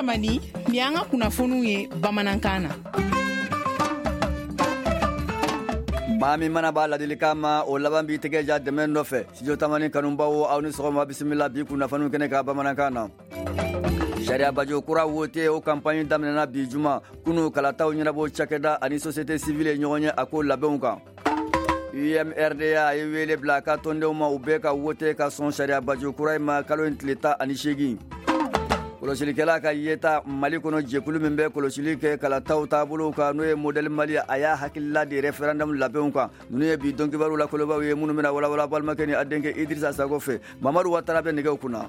Tamani, nin y'an ka kunnafoniw ye bamanankan na. Maa min mana b'a ladilikan ma, o laban b'i tɛgɛ ja dɛmɛ nɔfɛ. Studio Tamani kanubaw, aw ni sɔgɔma, bisimila bi kunnafoniw kɛnɛ ka bamanankan na. Sariya baju kura wote, o campagne daminɛna bi juma. Kunu, kalataw ɲɛnabɔ cakɛda ani société civile ye ɲɔgɔn ye a ko labɛnw kan. UMRDA ye wele bila a ka tɔndenw ma, u bɛɛ ka wote ka sɔn sariya baju kura in ma kalo in tile 18. Kɔlɔsilikɛla ka yeta Mali kɔnɔ, jɛkulu min bɛ kɔlɔsili kɛ kalataw taabolow kan, n'o ye Modèle Mali, a y'a hakilila di référendum labɛnw kan. Ninnu ye bi don kibaru la kolobaw ye, minnu bɛna walawala balimakɛ ni a denkɛ Idrissa Sago fɛ. Mamadu Watara bɛ nɛgɛw kunna.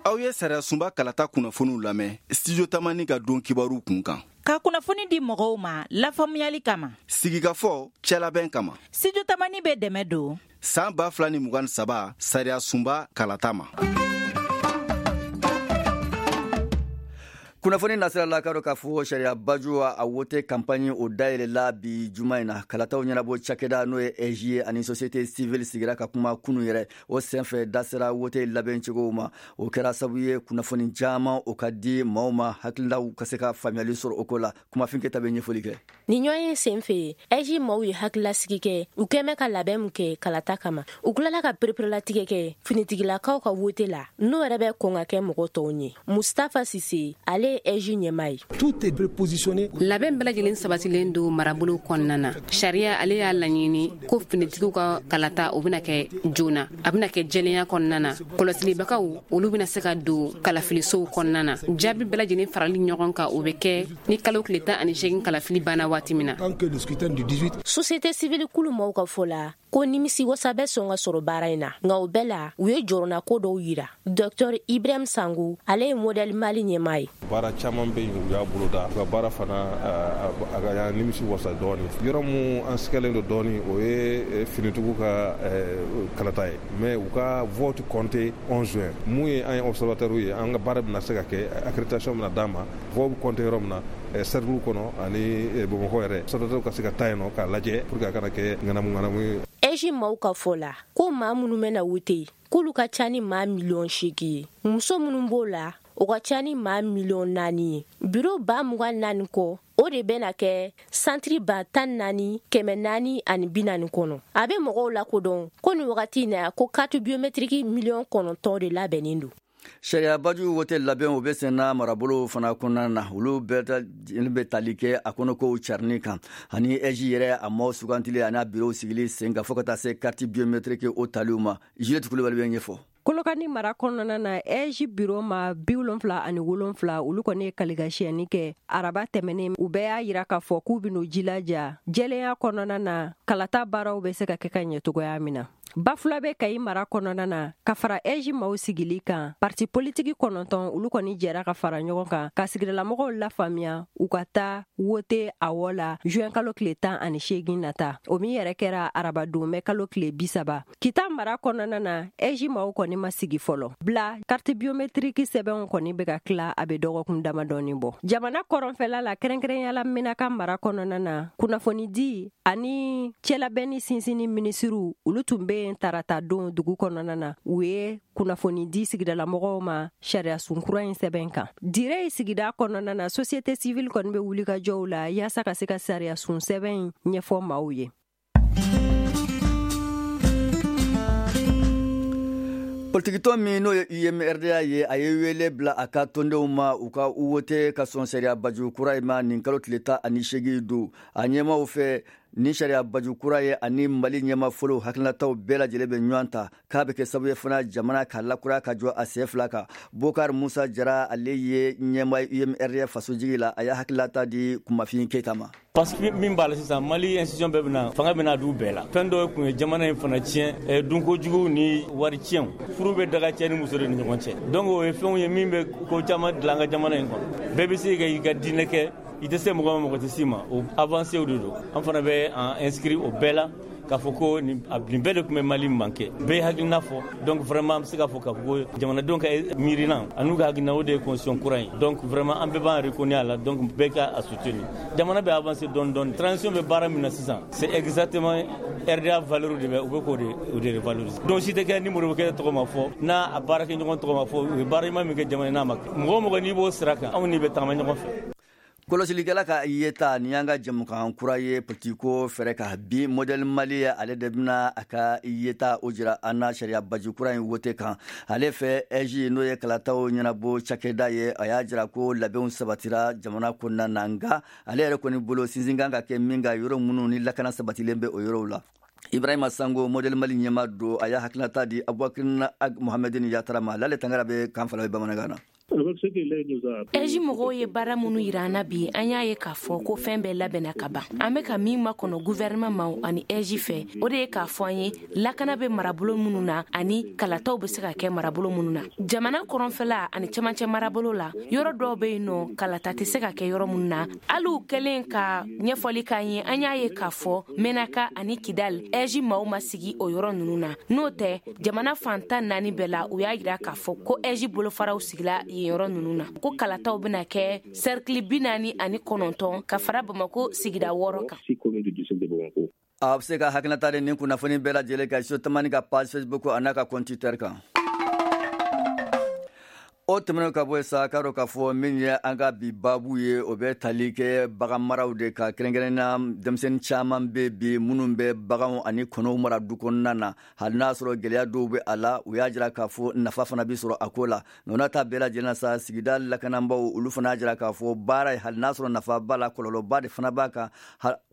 Aw ye sariya sunba kalata kunnafoniw lamɛn Studio Tamani ka don kibaru kun kan. Ka kunnafoni di mɔgɔw ma lafaamuyali kama. Sigikafɔ cɛlabɛn kama. Studio Tamani bɛ dɛmɛ don san 2023 sariya sunba kalata ma. Kunnafoni nasira la, k'a dɔn k'a fɔ sariya baju a wote campagne, o dayɛlɛla bi juma in na. Kalataw ɲɛnabɔ cakɛda, n'o ye AIGE ye, ani société civile sigira ka kuma kunu yɛrɛ. O senfɛ, da sera wote labɛncogow ma. O kɛra sababu ye kunnafoni caman o ka di maaw ma, hakililaw ka se ka faamuyali sɔrɔ o ko la. Kumafin Keta bɛ ɲɛfɔli kɛ. Nin ɲɔgɔn ye sen fɛ, AIGE maaw ye hakililasigi kɛ u kɛmɛ ka labɛn min kɛ kalata kama. U tilala ka pereperelatigɛ kɛ finitigilakaw ka wote la, n'o yɛrɛ bɛ kɔn ka kɛ mɔgɔ tɔw ɲɛ. Mustafa Sise, ale ye AIGE ɲɛmaa ye. Tout est prépositionné. Labɛn bɛɛ lajɛlen sabatilen don marabolo kɔnɔna na. Sariya ale y'a laɲini ko finitigiw ka kalata, o bɛna kɛ joona, a bɛna kɛ jɛlenya kɔnɔna na. Kɔlɔsilibagaw, olu bɛna se ka don kalafilisow kɔnɔna na. Jaabi bɛɛ lajɛlen farali ɲɔgɔn kan, o bɛ kɛ ni kalo tile 18 kalafili banna waati min na. Société civile kulu maaw ka fɔ la ko nimisi wasa bɛ sɔn ka sɔrɔ baara in na, nka o bɛɛ la, u ye jɔrɔnako dɔw yira. Docteur Ibrahim Sango, ale ye Modèle Mali ɲɛmaa ye. Baara caman bɛ yen, u y'a boloda. U ka baara fana, a ka y'an nimisi wasa dɔɔni. Yɔrɔ mun an sigalen don dɔɔni, o ye finitigiw ka kalata ye, mais u ka vote compté 11 juin. Mun ye, an ye observateur ye, an ka baara bɛna se ka kɛ, accréditation bɛna d'an ma, vote bɛ compté yɔrɔ min na, cercle kɔnɔ ani Bamakɔ yɛrɛ, observateur ka se ka taa yen nɔ k'a lajɛ pour que a kana kɛ ŋanamu ŋanamu ye. AIGE maaw ka fɔ la ko maa minnu bɛna wote, k'olu ka ca ni maa miliyɔn 8 ye. Muso minnu b'o la, o ka ca ni maa miliyɔn 4 ye. Biro 24,000 kɔ, o de bɛna kɛ santiri 14,440 kɔnɔ. A bɛ mɔgɔw lakodɔn ko nin wagati in na, ko carte biométrique miliyɔn 9 de labɛnnen don. Sariya baju wote labɛn, o bɛ senna marabolo fana kɔnɔna na. Olu bɛɛ bɛ tali kɛ a kɔnɔkow carinni kan ani AIGE yɛrɛ a maaw sugantili ani a bureau sigili sen kan, fo ka taa se carte biométrique o taliw ma. Juliette Kulibali bɛ ɲɛfɔ. Kolokani mara kɔnɔna na, AIGE biro ma 77, olu kɔni ye kaligasiyɛni kɛ araba tɛmɛnen. U bɛɛ y'a yira k'a fɔ k'u ben'u jilaja jɛlenya kɔnɔna na, kalata baaraw bɛ se ka kɛ ka ɲɛ cogoya min na. Bafulabe, Kayi mara kɔnɔna na, ka fara AIGE maaw sigili kan, parti politiki 9, olu kɔni jɛra ka fara ɲɔgɔn kan ka sigidalamɔgɔw lafaamuya u ka taa wote awɔ la juin kalo tile 18 nata, o min yɛrɛ kɛra arabadon mɛ kalo tile 30. Kita mara kɔnɔna na, AIGE maaw kɔni ma sigi fɔlɔ bila. Carte biométrique sɛbɛnw kɔni bɛ ka tila, a bɛ dɔgɔkun damadɔni bɔ. Jamana kɔrɔnfɛla la, kɛrɛnkɛrɛnyala Menaka mara kɔnɔna na, kunnafonidi ani cɛlabɛnni sinsinni minisiriw, olu tun bɛ yen tarata don dugu kɔnɔna na. U ye kunnafoni di sigidalamɔgɔw ma sariya sunkura in sɛbɛn kan. Dire sigida kɔnɔna na, société civile kɔni bɛ wulikajɔw la yaasa ka se ka sariya sun sɛbɛn in ɲɛfɔ maaw ye. Politikitɔn min n'o ye UMRDA ye, a ye wele bila a ka tɔndenw ma, u ka u wote ka sɔn sariya baju kura in ma nin kalo tile 18 don. A ɲɛmaw fɛ, ni sariya baju kura ye ani Mali ɲɛma fɔlɔ hakilinataw bɛɛ lajɛlen bɛ ɲɔgɔn ta, k'a bɛ kɛ sababu ye fana jamana ka lakura ka jɔ a sen fila kan. Bokar Musa Jara, ale ye ɲɛma UMRDA fasojigi la, a y'a hakilinata di Kumafin Keyita ma. Parce que min b'a la sisan, Mali institution bɛɛ bɛna fanga bɛna d'u bɛɛ la. Fɛn dɔ tun ye jamana in fana tiɲɛ, dunko jugu ni wari tiɲɛw. Furu bɛ daga cɛ ni muso de ni ɲɔgɔn cɛ. Donc o ye fɛnw ye min bɛ ko caman dilan an ka jamana in kɔnɔ. Bɛɛ bɛ se ka i ka diinɛ kɛ, i tɛ se mɔgɔ ma, mɔgɔ tɛ s'i ma. O avancé de don. An fana bɛ an inscrit o bɛɛ la. k'a fɔ ko nin bɛɛ de tun bɛ Mali manqué, bɛɛ ye hakilina fɔ. Donc vraiment an bɛ se k'a fɔ ko jamanadenw ka miirina an'u ka hakilina, o de ye constitution kura ye. Donc vraiment an bɛɛ b'an reconnaître a la, donc bɛɛ ka a soutenir. Jamana bɛ avancer dɔɔni dɔɔni, transition bɛ baara min na sisan, c'est exactement RDA valeur de bɛ u bɛ k'o de revaloriser. Donc si tɛ kɛ ni Modibo Keyita tɔgɔ ma fɔ, n'a a baarakɛɲɔgɔn tɔgɔ ma fɔ, u ye baara ɲuman min kɛ jamana n'a ma kɛ, mɔgɔ o mɔgɔ n'i b'o sira kan, anw n'i bɛ tagama ɲɔgɔn fɛ. Kɔlɔsilikɛla ka yeta, nin y'an ka jɛmukan kura ye politiko fɛrɛ ka bi. Modèle Mali, ale de bɛna a ka yeta o jira an na sariya baji kura in wote kan. Ale fɛ, AIGE, n'o ye kalataw ɲɛnabɔ cakɛda ye, a y'a jira ko labɛnw sabatira jamana kɔnɔna na. Nka ale yɛrɛ kɔni bolo, sinsin kan ka kɛ min kan, yɔrɔ minnu ni lakana sabatilen bɛ o yɔrɔw la. Ibrahima Sango, Modèle Mali ɲɛma don, a y'a hakilinata di Abubakar Mohamedini Yatara ma. Lale Tangara bɛ kan fila bamanankan na. AIGE mɔgɔw ye baara minnu yira an na bi, an y'a ye k'a fɔ ko fɛn bɛɛ labɛnna ka ban. An bɛ ka min makɔnɔ gouvernement ma ani AIGE fɛ, o de ye k'a fɔ an ye lakana bɛ marabolo minnu na ani kalataw bɛ se ka kɛ marabolo minnu na. Jamana kɔrɔnfɛla ani cɛmancɛ marabolo la, yɔrɔ dɔw bɛ yen nɔ, kalata tɛ se ka kɛ yɔrɔ minnu na. Hali u kɛlen ka ɲɛfɔli k'an ye, an y'a ye k'a fɔ Menaka ani Kidal, AIGE maaw ma sigi o yɔrɔ ninnu na. N'o tɛ, jamana fan 14 bɛɛ la, u y'a yira k'a fɔ ko AIGE bolofaraw sigila yen yɔrɔ ninnu na, ko kalataw bɛna kɛ cercle 49 ka fara Bamako sigida 6 kan. A bɛ se ka hakilinata de nin kunnafoni bɛɛ lajɛlen kan Studio Tamani ka page Facebook a n'a ka compte Twitter kan. O tɛmɛnen ka bɔ yen sa, k'a dɔn k'a fɔ min ye an ka bi baabu ye, o bɛ tali kɛ bagan maraw de kan. Kɛrɛnkɛrɛnnenya, denmisɛnnin caman bɛ bi minnu bɛ baganw ani kɔnɔw mara du kɔnɔna na. Hali n'a sɔrɔ gɛlɛya dɔw bɛ a la, u y'a jira k'a fɔ nafa fana bɛ sɔrɔ a ko la. Nka n'a ta bɛɛ lajɛlen na sa, sigida lakanabaaw, olu fana y'a jira k'a fɔ baara ye, hali n'a sɔrɔ nafa b'a la, kɔlɔlɔba de fana b'a kan,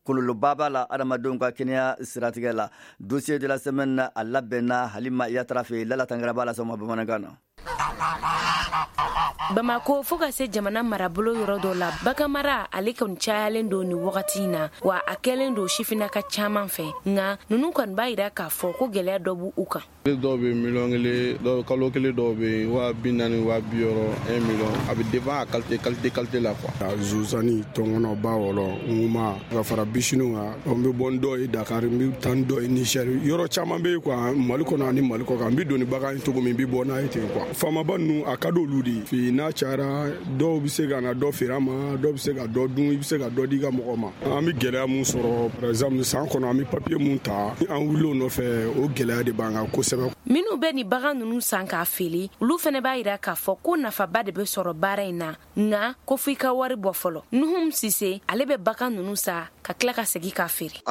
kɔlɔlɔba b'a la adamadenw ka kɛnɛya siratigɛ la. Dossier de la semaine, a labɛnna Halima Yatara fɛ. Lala Tangara b'a lase aw ma bamanankan na. Bamako fo ka se jamana marabolo yɔrɔ dɔ la, baganmara ale kɔni cayalen don nin wagati in na, wa a kɛlen don sifinnaka caman fɛ. Nka ninnu kɔni b'a yira k'a fɔ ko gɛlɛya dɔ b'u kan. Dɔw bɛ miliyɔn 1, dɔw kalo kelen, dɔw bɛ yen 40 000, 60 000, 1 million. A bɛ dépend a qualité qualité qualité la quoi. Zozani, tɔnkɔnɔ, ba wɔlɔ, ŋuma, ka fara bisiniw kan. N bɛ bɔ ni dɔw ye Dakar, n bɛ taa ni dɔw ye Niger, yɔrɔ caman bɛ yen quoi, Mali kɔnɔ ani Mali kɔ kan. N bɛ don ni bagan ye cogo min, n bɛ bɔ n'a ye ten quoi. Faamaba ninnu, a ka d'olu de ye. N'a cayara, dɔw bɛ se ka na dɔ feere an ma, dɔw bɛ se ka dɔ dun, i bɛ se ka dɔ di i ka mɔgɔ ma. An bɛ gɛlɛya mun sɔrɔ, par exemple san kɔnɔ, an bɛ papier mun ta, an wuli o nɔfɛ, o gɛlɛya de b'an kan kosɛbɛ. Minnu bɛ nin bagan ninnu san k'a feere, olu fana b'a yira k'a fɔ ko nafaba de bɛ sɔrɔ baara in na, nka ko fo i ka wari bɔ fɔlɔ. Nuhum Sise, ale bɛ bagan ninnu san ka tila ka segin k'a feere.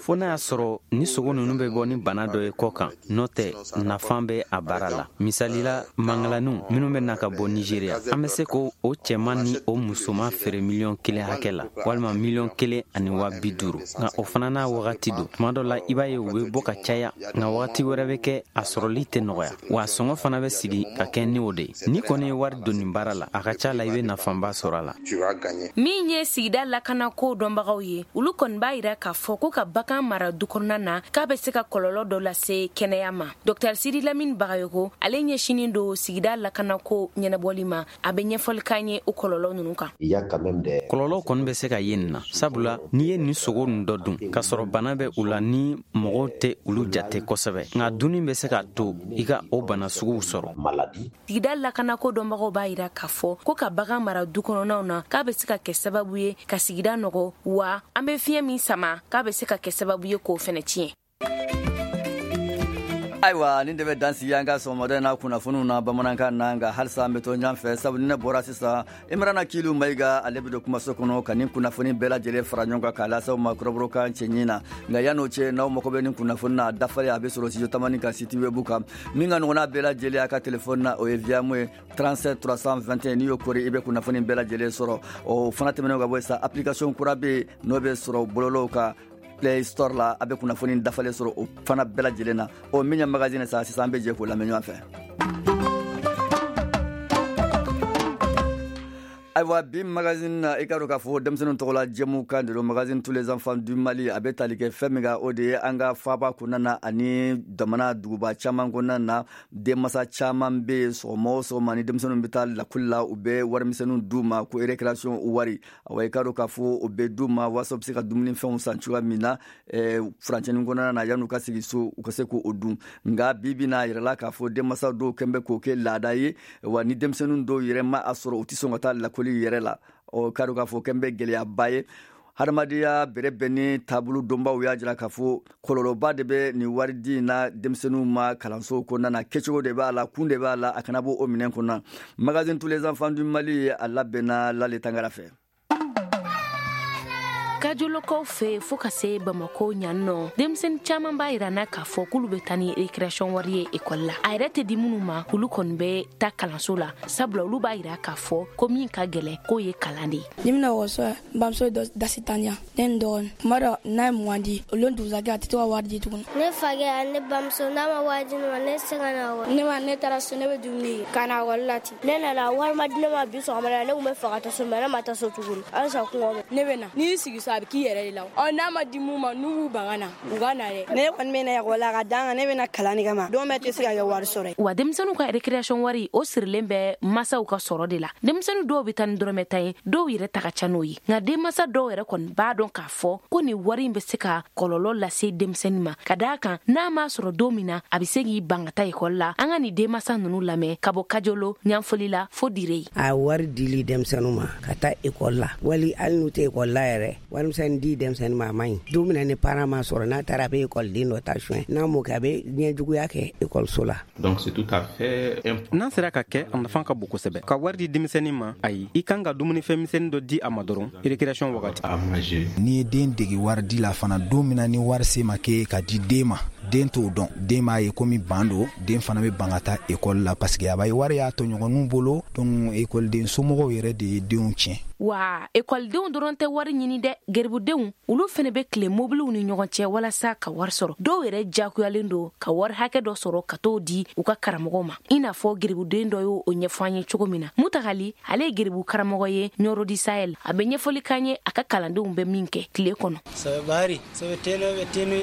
Fo n'a y'a sɔrɔ ni sogo ninnu bɛ bɔ ni bana dɔ ye kɔ kan, n'o tɛ, nafa bɛ a baara la. Misali la, mangalaniw minnu bɛ na ka bɔ Nigeriya, an bɛ se k'o o cɛman ni o musoman feere miliyɔn 1 hakɛ la, walima miliyɔn 1 ani 50 000. Nka o fana n'a wagati don. Tuma dɔ la, i b'a ye u bɛ bɔ ka caya, nka wagati wɛrɛ bɛ kɛ, a sɔrɔli tɛ nɔgɔya, wa sɔngɔ fana bɛ sigi ka kɛ ni o de ye. N'i kɔni ye wari don nin baara la, a ka ca la i bɛ nafaba sɔrɔ a la. Min ye sigida lakanako dɔnbagaw ye, olu kɔni b'a yira k'a fɔ ko ka bagan mara du kɔnɔna na, k'a bɛ se ka kɔlɔlɔ dɔ lase kɛnɛya ma. Dr Sidi Lamini Bagayoko, ale ɲɛsinin don sigida lakanako ɲɛnabɔli ma, a bɛ ɲɛfɔli k'an ye o kɔlɔlɔ ninnu kan. Kɔlɔlɔ kɔni bɛ se ka ye nin na, sabula n'i ye nin sogo nin dɔ dun k'a sɔrɔ bana bɛ u la, ni mɔgɔw tɛ olu jate kosɛbɛ, nka dunni bɛ se k'a to i ka o bana suguw sɔrɔ. Sigida lakanako dɔnbagaw b'a yira k'a fɔ ko ka bagan mara du kɔnɔnaw na, k'a bɛ se ka kɛ sababu ye ka sigida nɔgɔ, wa an bɛ fiɲɛ min sama, k'a bɛ se ka kɛ sababu ye k'o fɛnɛ tiɲɛ. Ayiwa, nin de bɛ dan sigi an ka sɔgɔmada in na kunnafoniw na bamanankan na. Nka halisa an bɛ to ɲɔgɔn fɛ, sabu ni ne bɔra sisan, Imrana Kilu Mayiga, ale bɛ don kumaso kɔnɔ ka nin kunnafoni bɛɛ lajɛlen fara ɲɔgɔn kan k'a lase aw ma kɔrɔbɔrɔkan cɛɲi na. Nka yan'o cɛ, n'aw mago bɛ nin kunnafoni na dafalen, a bɛ sɔrɔ Studio Tamani ka site web kan. Min ka nɔgɔn n'a bɛɛ lajɛlen a ka telefɔni na, o ye Viamo ye, 37 321. N'i y'o kori, i bɛ kunnafoni bɛɛ lajɛlen sɔrɔ. O fana tɛmɛnen ka bɔ yen sa, application kura bɛ yen, n'o bɛ sɔrɔ bɔlɔlɔw kan, Play Store la, a bɛ kunnafoni dafalen sɔrɔ o fana bɛɛ lajɛlen na. O min ye magazine sa, sisan an bɛ jɛ k'o lamɛn ɲɔgɔn fɛ. Ayiwa, bi magazine na, i ka dɔn k'a fɔ denmisɛnninw tɔgɔla jɛmukan de don. Magazine Tous les enfants du Mali, a bɛ tali kɛ fɛn min kan, o de ye an ka faaba kɔnɔna na ani jamana duguba caman kɔnɔna na. Denmasa caman bɛ yen, sɔgɔma o sɔgɔma ni denmisɛnninw bɛ taa lakɔli la, u bɛ warimisɛnninw d'u ma ko récréation wari. Awa, i ka dɔn k'a fɔ o bɛ d'u ma walasa u bɛ se ka dumunifɛnw san cogoya min na furancɛnin kɔnɔna na, yan'u ka segin so, u ka se k'o dun. Nka bi bi n'a yɛrɛ la k'a fɔ denmansa dɔw kɛn bɛ k'o kɛ laada ye wa, ni denmisɛnnin dɔw yɛrɛ ma a sɔrɔ, u tɛ sɔn ka taa lakɔli yɛrɛ la. Ɔ k'a dɔn k'a fɔ kɛn bɛ gɛlɛyaba ye. Hadamadenya bɛrɛ bɛn ni taabolo donbaw y'a jira k'a fɔ kɔlɔlɔba de bɛ nin wari di in na denmisɛnninw ma kalanso kɔnɔna na. Kɛcogo de b'a la, kun de b'a la, a kana bɔ o minɛn kɔnɔ. Magazine Tous les enfants du Mali, a labɛnna Lale Tangara fɛ. Kajolokaw fɛ fɔɔ ka se Bamako ɲan nɔ, denmisɛni caaman b'a yira na k'a fɔ k'olu bɛ taa ni récréation wari ye ekɔli la. A yɛrɛ tɛ di minnu ma, olu kɔni bɛ ta kalanso la, sabula olu b'a yira k'a fɔ ko min ka gɛlɛn, k'o ye kalan de ye. Ni bɛna ekɔliso la, n bamuso ye dasi tan di yan, ne ni n dɔgɔnin. Tuma dɔ n'a ye 20 di, o lon dugusajɛ a tɛ to ka wari di tuguni. Ne fakɛ ani ne bamuso, n'a ma wari di ne ma, ne tɛ se ka na ekɔli. Ne ma ne taara so, ne bɛ dumuni kɛ ka na ekɔli la ten. Ne nana, wari ma di ne ma bi sɔgɔma la. Ne tun bɛ fɛ ka taa so, mais ne ma taa so tuguni, halisa kɔngɔ bɛ ne. Bɛ na n'i y'i sigi so, a bɛ k'i yɛrɛ de la. Ɔ n'a ma di mun ma, n'u b'u ban ka na, u ka na dɛ. Ne kɔni bɛ na ekɔli la ka dan kan, ne bɛ na kalan de kama. Don bɛɛ tɛ se ka kɛ wari sɔrɔ ye. Wa denmisɛnninw ka récréation wari, o sirilen bɛ masaw ka sɔrɔ de la. Denmisɛnnin dɔw bɛ taa ni dɔrɔmɛ 10 ye, dɔw yɛrɛ ta ka ca n'o ye. Nka denmansa dɔw yɛrɛ kɔni b'a dɔn k'a fɔ ko nin wari in bɛ se ka kɔlɔlɔ lase denmisɛnnin ma, ka d'a kan n'a m'a sɔrɔ don min na, a bɛ se k'i ban ka taa ekɔli la. An ka nin denmansa ninnu lamɛn ka bɔ Kajolo, Ɲanfoli la fo Dire. A wari dili denmisɛnninw ma ka taa ekɔli la, wali hali n'u tɛ ekɔli la yɛrɛ, warimisɛnnin di denmisɛnnin ma, a man ɲi. Don min na ni parent ma sɔrɔ, n'a taara a bɛ ekɔliden dɔ ta suɲɛ, n'a m'o kɛ, a bɛ ɲɛjuguya kɛ ekɔliso la. Donc c'est tout à fait N'a sera ka kɛ, a nafa ka bon kosɛbɛ. Ka wari di denmisɛnnin ma, ayi, i kan ka dumunifɛn misɛnnin dɔ di a ma dɔrɔn récréation wagati. N'i ye den dege wari di la fana, don min na ni wari se ma kɛ ka di den ma, den t'o dɔn. Den b'a ye komi ban don, den fana bɛ ban ka taa ekɔli la, parce que a b'a ye wari y'a tɔɲɔgɔnninw bolo. Donc ekɔliden somɔgɔw yɛrɛ de ye denw tiɲɛ. Wa ekɔlidenw dɔrɔn tɛ wari ɲini dɛ. Geribudenw, olu fɛnɛ bɛ tile mobiliw ni ɲɔgɔn cɛ walasa ka wari sɔrɔ. Dɔw yɛrɛ jakuyalen don ka wari hakɛ dɔ sɔrɔ ka t'o di u ka karamɔgɔw ma, i n'a fɔ geribuden dɔ y'o ɲɛfɔ an ye cogo min na. Mutagali, ale ye geribu karamɔgɔ ye Ɲɔrɔ di Sahel. A bɛ ɲɛfɔli k'an ye a ka kalandenw bɛ min kɛ tile kɔnɔ.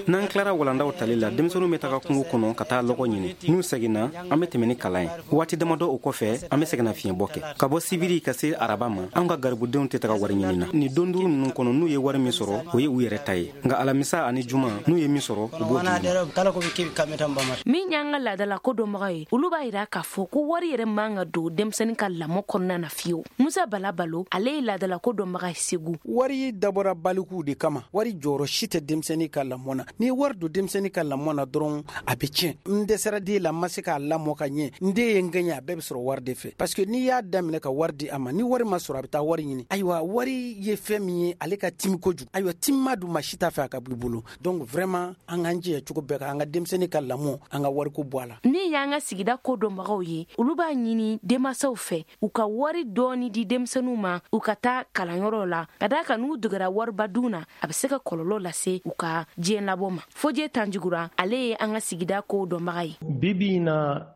N'an tilara walandaw tali la, denmisɛnninw bɛ taga kungo kɔnɔ ka taa lɔgɔ ɲini. N'u seginna, an bɛ tɛmɛ ni kalan ye. Waati damadɔ o kɔfɛ, an bɛ segin fiɲɛbɔ kɛ. Ka bɔ sibiri ka se araba ma, an ka garibudenw tɛ taga wari ɲini na. Nin don 5 ninnu kɔnɔ, n'u ye wari min sɔrɔ, o ye u yɛrɛ ta ye. Nka alamisa ani juma, n'u ye min sɔrɔ, u b'o di. Min y'an ka laadala ko dɔnbaga ye, olu b'a yira k'a fɔ ko wari yɛrɛ man ka don denmisɛnnin ka lamɔ kɔnɔna na fiyewu. Musa Bala Balo, ale ye laadala ko dɔnbaga ye Segu. Wari dabɔra balikuw de kama. Wari jɔyɔrɔ si tɛ denmisɛnnin ka lamɔ na. N'i ye wari don denmisɛnnin ka lamɔ na dɔrɔn, a bɛ tiɲɛ. N dɛsɛra den la, n ma se k'a lamɔ ka ɲɛ, n den ye n gɛɲɛ, a bɛɛ bɛ sɔrɔ wari de fɛ, parce que n'i y'a daminɛ ka wari di a ma, ni wari ma sɔrɔ, a bɛ taa wari ɲini. Ayiwa, wari ye fɛn min ye, ale ka timi kojugu. Ayiwa, timima dun, ma si t'a fɛ a ka b'i bolo. Donc vraiment, an k'an jija cogo bɛɛ kan an ka denmisɛnnin ka lamɔ, an ka wariko bɔ a la. Min y'an ka sigida ko dɔnbagaw ye, olu b'a ɲini denmansaw fɛ u ka wari dɔɔni di denmisɛnninw ma u ka taa kalanyɔrɔ la, ka d'a kan n'u degera wariba dun na, a bɛ se ka kɔlɔlɔ lase u ka diɲɛ labɔ ma. Fojɛ Tanjugura, ale ye an ka sigida ko dɔnbaga ye. Bi bi in na,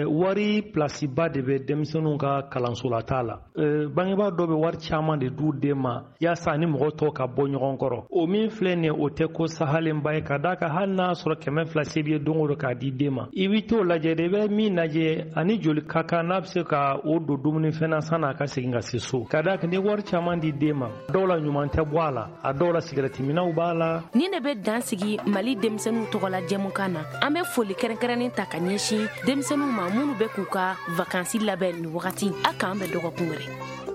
wari pilasiba de bɛ denmisɛnninw ka kalansolata la. Bangebaa dɔ bɛ wari caman de d'u den ma yaasa ni mɔgɔ tɔw ka bɔ ɲɔgɔn kɔrɔ. O min filɛ nin ye, o tɛ ko sahalenba ye, ka d'a kan hali n'a sɔrɔ 200 se b'i ye don o don k'a di den ma, i bɛ t'o lajɛ de, i bɛ min lajɛ ani joli ka kan n'a bɛ se ka o don dumunifɛn na san'a ka segin ka se so. Ka d'a kan ni wari caman di den ma, dɔw la ɲuman tɛ bɔ a la, a dɔw la sigɛrɛtiminɛw b'a la. Nin de bɛ dan sigi Mali denmisɛnninw tɔgɔla jɛmukan na. An bɛ foli kɛrɛnkɛrɛnnen ta ka ɲɛsin denmisɛnninw ma minnu bɛ k'u ka vakansi labɛn nin wagati. A k'an bɛn dɔgɔkun wɛrɛ.